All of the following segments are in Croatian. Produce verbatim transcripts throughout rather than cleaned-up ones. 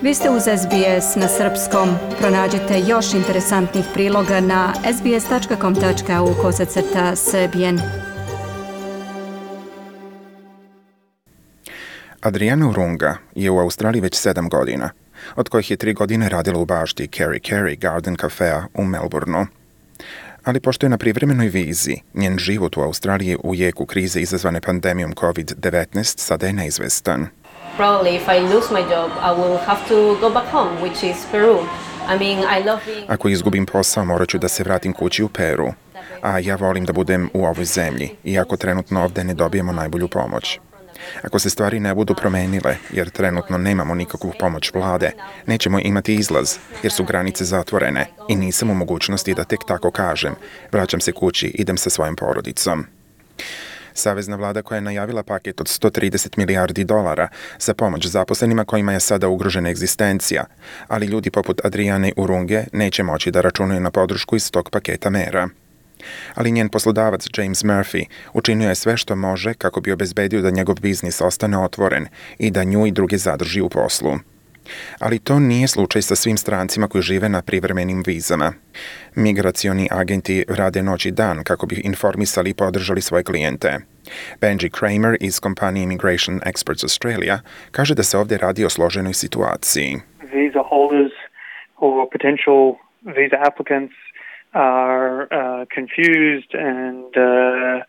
Vi ste uz S B S na srpskom. Pronađite još interesantnih priloga na sbs.com.au kosacrta srbijen. Adriana Urunga je u Australiji već sedam godina, od kojih je tri godine radila u bašti Kerry Kerry Garden Cafea u Melbourneu. Ali pošto je na privremenoj vizi, njen život u Australiji u jeku krize izazvane pandemijom covid devetnaest sada je neizvestan. Probably if I lose my job, I will have to go back home, which is Peru. I mean, I love being... Ako izgubim posao, morat ću da se vratim kući u Peru. A ja volim da budem u ovoj zemlji, iako trenutno ovde ne dobijemo najbolju pomoć. Ako se stvari ne budu promenile, jer trenutno nemamo nikakvu pomoć vlade, nećemo imati izlaz, jer su granice zatvorene i nisam u mogućnosti da tek tako kažem, vraćam se kući, idem sa svojom porodicom. Savezna vlada koja je najavila paket od sto trideset milijardi dolara za pomoć zaposlenima kojima je sada ugrožena egzistencija, ali ljudi poput Adriane Urunge neće moći da računaju na podršku iz tog paketa mera. Ali njen poslodavac James Murphy učinio je sve što može kako bi obezbedio da njegov biznis ostane otvoren i da nju i druge zadrži u poslu. Ali to nije slučaj sa svim strancima koji žive na privremenim vizama. Migracioni agenti rade noć i dan kako bi informisali i podržali svoje klijente. Benji Kramer iz kompanije Immigration Experts Australia kaže da se ovdje radi o složenoj situaciji. Visa holders or potential visa applicants are uh, confused and uh,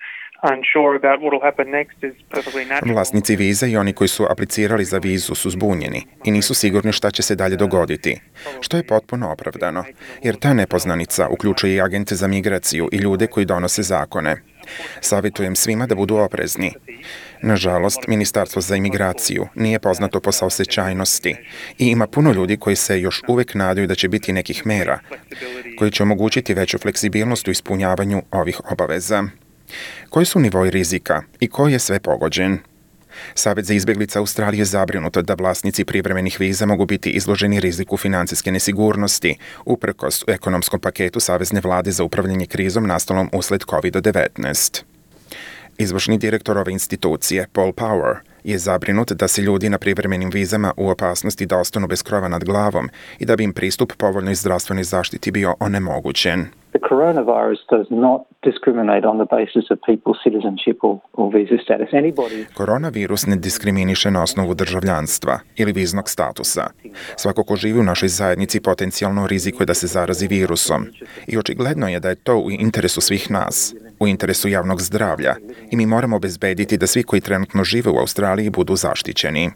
unsure about what will happen next is perfectly natural. Vlasnici viza i oni koji su aplicirali za vizu su zbunjeni i nisu sigurni šta će se dalje dogoditi, što je potpuno opravdano, jer ta nepoznanica uključuje i agente za migraciju i ljude koji donose zakone. Savjetujem svima da budu oprezni. Nažalost, Ministarstvo za imigraciju nije poznato po saosećajnosti i ima puno ljudi koji se još uvek nadaju da će biti nekih mera koji će omogućiti veću fleksibilnost u ispunjavanju ovih obaveza. Koji su nivoi rizika i ko je sve pogođen? Savet za izbjeglice Australije je zabrinut da vlasnici privremenih viza mogu biti izloženi riziku financijske nesigurnosti, uprkos ekonomskom paketu Savezne vlade za upravljanje krizom nastalom usled covid devetnaest. Izvršni direktor ove institucije, Paul Power, je zabrinut da se ljudi na privremenim vizama u opasnosti da ostanu bez krova nad glavom i da bi im pristup povoljnoj zdravstvenoj zaštiti bio onemogućen. The coronavirus does not discriminate on the basis of people's citizenship or, or visa status. Anybody... Koronavirus ne diskriminiše na osnovu državljanstva ili viznog statusa. Svako ko živi u našoj zajednici potencijalno rizikuje da se zarazi virusom. I očigledno je da je to u interesu svih nas, u interesu javnog zdravlja i mi moramo obezbediti da svi koji trenutno žive u Australiji budu zaštićeni.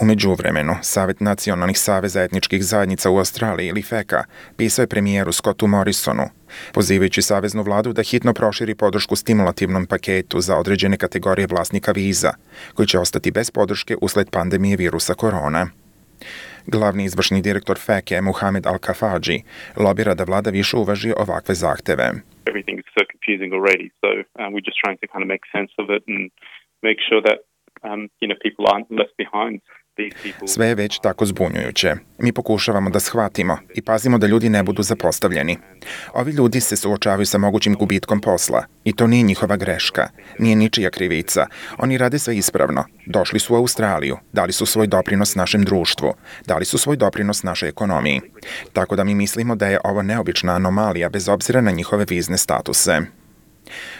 U međuvremenu, Savet nacionalnih saveza etničkih zajednica u Australiji ili feka pisao je premijeru Scottu Morrisonu, pozivajući saveznu vladu da hitno proširi podršku stimulativnom paketu za određene kategorije vlasnika viza, koji će ostati bez podrške usled pandemije virusa korona. Glavni izvršni direktor feke Muhamed Al-Kafaji lobira da vlada više uvaži ovakve zahteve. Everything is so confusing already, so um, we're just trying to kind of make sense of it and make sure that Um, you know, people aren't left behind. Sve je već tako zbunjujuće. Mi pokušavamo da shvatimo i pazimo da ljudi ne budu zapostavljeni. Ovi ljudi se suočavaju sa mogućim gubitkom posla i to nije njihova greška, nije ničija krivica. Oni rade sve ispravno. Došli su u Australiju, dali su svoj doprinos našem društvu, dali su svoj doprinos našoj ekonomiji. Tako da mi mislimo da je ovo neobična anomalija bez obzira na njihove vizne statuse.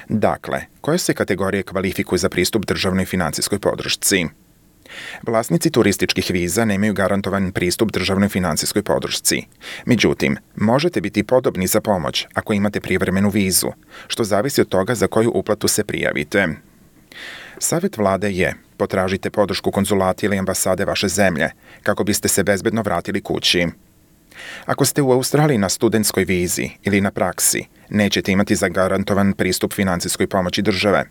Dakle, koje se kategorije kvalifikuju za pristup državnoj financijskoj podršci? Vlasnici turističkih viza nemaju garantovan pristup državnoj financijskoj podršci. Međutim, možete biti podobni za pomoć ako imate privremenu vizu, što zavisi od toga za koju uplatu se prijavite. Savjet vlade je: potražite podršku konzulata ili ambasade vaše zemlje kako biste se bezbedno vratili kući. Ako ste u Australiji na studentskoj vizi ili na praksi, nećete imati zagarantovan pristup financijskoj pomoći države,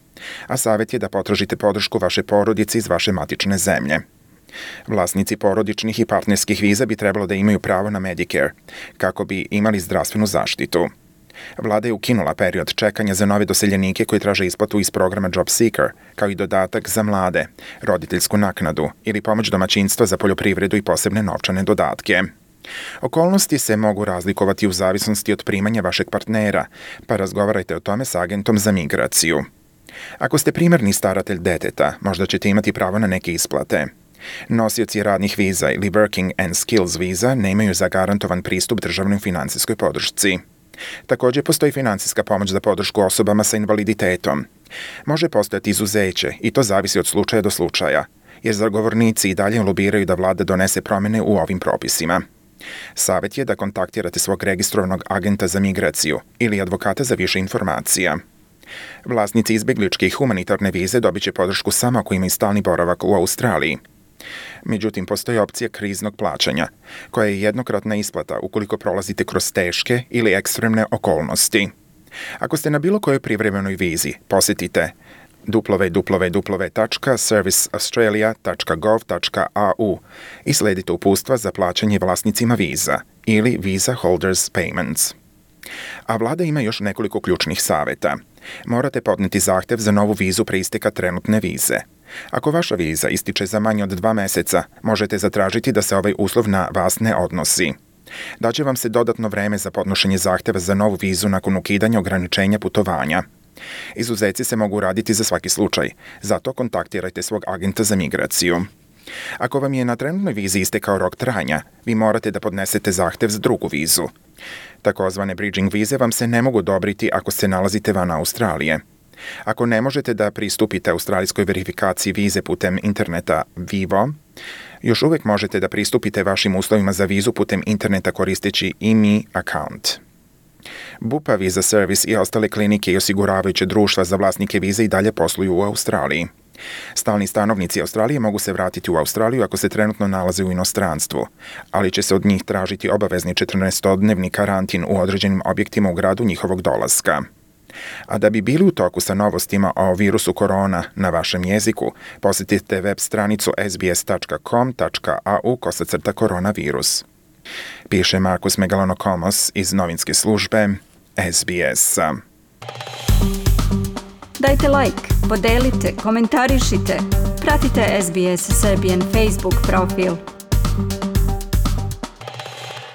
a savjet je da potražite podršku vaše porodice iz vaše matične zemlje. Vlasnici porodičnih i partnerskih viza bi trebalo da imaju pravo na Medicare, kako bi imali zdravstvenu zaštitu. Vlada je ukinula period čekanja za nove doseljenike koji traže isplatu iz programa Job Seeker, kao i dodatak za mlade, roditeljsku naknadu ili pomoć domaćinstva za poljoprivredu i posebne novčane dodatke. Okolnosti se mogu razlikovati u zavisnosti od primanja vašeg partnera, pa razgovarajte o tome s agentom za migraciju. Ako ste primarni staratelj deteta, možda ćete imati pravo na neke isplate. Nosioci radnih viza ili Working and Skills viza nemaju zagarantovan pristup državnoj financijskoj podršci. Također postoji financijska pomoć za podršku osobama sa invaliditetom. Može postojati izuzeće i to zavisi od slučaja do slučaja, jer zagovornici i dalje lobiraju da vlada donese promjene u ovim propisima. Savjet je da kontaktirate svog registrovanog agenta za migraciju ili advokata za više informacija. Vlasnici izbjegličke i humanitarne vize dobit će podršku samo ako imaju stalni boravak u Australiji. Međutim, postoji opcija kriznog plaćanja, koja je jednokratna isplata ukoliko prolazite kroz teške ili ekstremne okolnosti. Ako ste na bilo kojoj privremenoj vizi, posjetite w w w tačka service australia tačka gov tačka a u i sledite uputstva za plaćanje vlasnicima viza ili Visa Holders Payments. A vlada ima još nekoliko ključnih savjeta. Morate podnijeti zahtjev za novu vizu pre isteka trenutne vize. Ako vaša viza ističe za manje od dva mjeseca, možete zatražiti da se ovaj uslov na vas ne odnosi. Daće vam se dodatno vreme za podnošenje zahtjeva za novu vizu nakon ukidanja ograničenja putovanja. Izuzeci se mogu raditi za svaki slučaj, zato kontaktirajte svog agenta za migraciju. Ako vam je na trenutnoj vizi istekao rok trajanja, vi morate da podnesete zahtjev za drugu vizu. Takozvane bridging vize vam se ne mogu odobriti ako se nalazite van Australije. Ako ne možete da pristupite australijskoj verifikaciji vize putem interneta Vivo, još uvijek možete da pristupite vašim uslovima za vizu putem interneta koristeći i em i account. Bupa Visa Service i ostale klinike i osiguravajuće društva za vlasnike vize i dalje posluju u Australiji. Stalni stanovnici Australije mogu se vratiti u Australiju ako se trenutno nalaze u inostranstvu, ali će se od njih tražiti obavezni četrnaestodnevni karantin u određenim objektima u gradu njihovog dolaska. A da bi bili u toku sa novostima o virusu korona na vašem jeziku, posjetite web stranicu s b s tačka com tačka a u kosacrta koronavirus. Piše Markus Megalonokomos iz novinske službe S B S. Dajte like, podelite, komentarišite, pratite S B S Serbian Facebook profil.